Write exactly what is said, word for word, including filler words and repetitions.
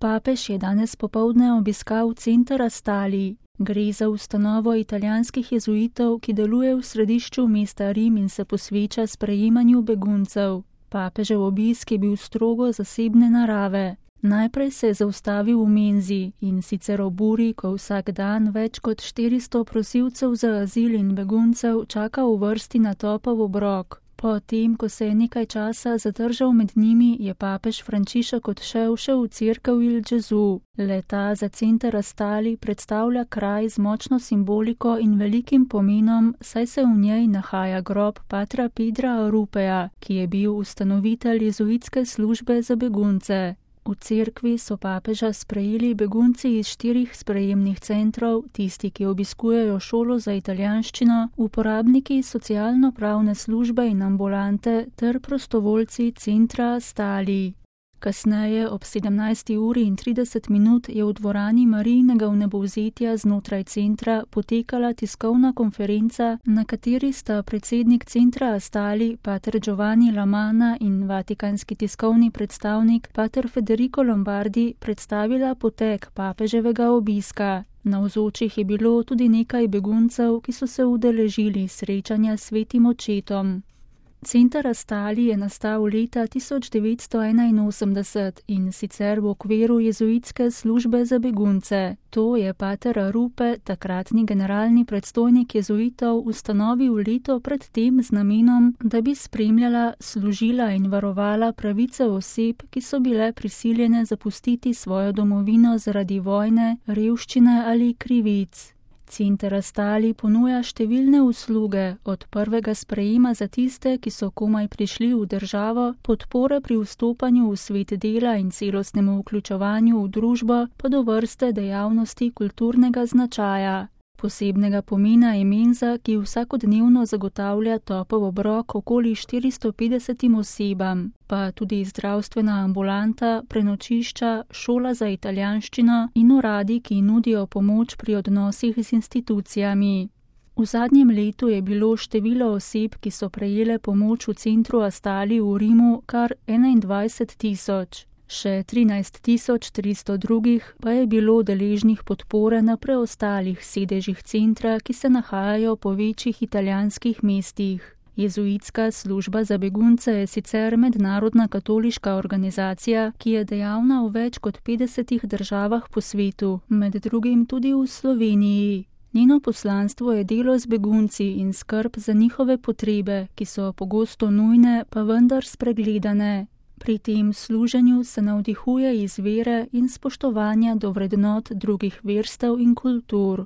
Papež je danes popoldne obiskal center Astali. Gre za ustanovo italijanskih jezuitov, ki deluje v središču mesta Rim in se posveča sprejemanju beguncev. Papežev obisk je bil strogo zasebne narave. Najprej se je zaustavil v menzi, in sicer ob uri, ko vsak dan več kot štiristo prosilcev za azil in beguncev čaka v vrsti na topel obrok. Potem, ko se je nekaj časa zadržal med njimi, je papež Frančišek odšel še v cerkev Il Gesù. Le-ta za center Astali predstavlja kraj z močno simboliko in velikim pomenom, saj se v njej nahaja grob patra Pedra Arupeja, ki je bil ustanovitelj jezuitske službe za begunce. V cerkvi so papeža sprejeli begunci iz štirih sprejemnih centrov, tisti, ki obiskujejo šolo za italijanščino, uporabniki socialno-pravne službe in ambulante ter prostovoljci centra Astali. Kasneje ob sedemnajsti uri in trideset minut je v dvorani Marijinega vnebovzetja znotraj centra potekala tiskovna konferenca, na kateri sta predsednik centra Astali, pater Giovanni Lamana in vatikanski tiskovni predstavnik, pater Federico Lombardi, predstavila potek papeževega obiska. Navzočih je bilo tudi nekaj beguncev, ki so se udeležili srečanja s svetim očetom. Center Astali je nastal leta tisoč devetsto enainosemdeset in sicer v okviru jezuitske službe za begunce. To je pater Arupe, takratni generalni predstojnik jezuitov, ustanovil leto pred tem z namenom, da bi spremljala, služila in varovala pravice oseb, ki so bile prisiljene zapustiti svojo domovino zaradi vojne, revščine ali krivic. Center Astali ponuja številne usluge, od prvega sprejema za tiste, ki so komaj prišli v državo, podpore pri vstopanju v svet dela in celostnemu vključevanju v družbo, pa do vrste dejavnosti kulturnega značaja. Posebnega pomena je menza, ki vsakodnevno zagotavlja topel obrok okoli štiristo petdesetim osebam, pa tudi zdravstvena ambulanta, prenočišča, šola za italijanščino in uradi, ki nudijo pomoč pri odnosih z institucijami. V zadnjem letu je bilo število oseb, ki so prejele pomoč v centru Astali v Rimu, kar enaindvajset tisoč. Še trinajst tisoč tristo drugih pa je bilo deležnih podpore na preostalih sedežih centra, ki se nahajajo po večjih italijanskih mestih. Jezuitska služba za begunce je sicer mednarodna katoliška organizacija, ki je dejavna v več kot petdesetih državah po svetu, med drugim tudi v Sloveniji. Njeno poslanstvo je delo z begunci in skrb za njihove potrebe, ki so pogosto nujne, pa vendar spregledane. Pri tem služenju se navdihuje iz vere in spoštovanja do vrednot drugih verstev in kultur.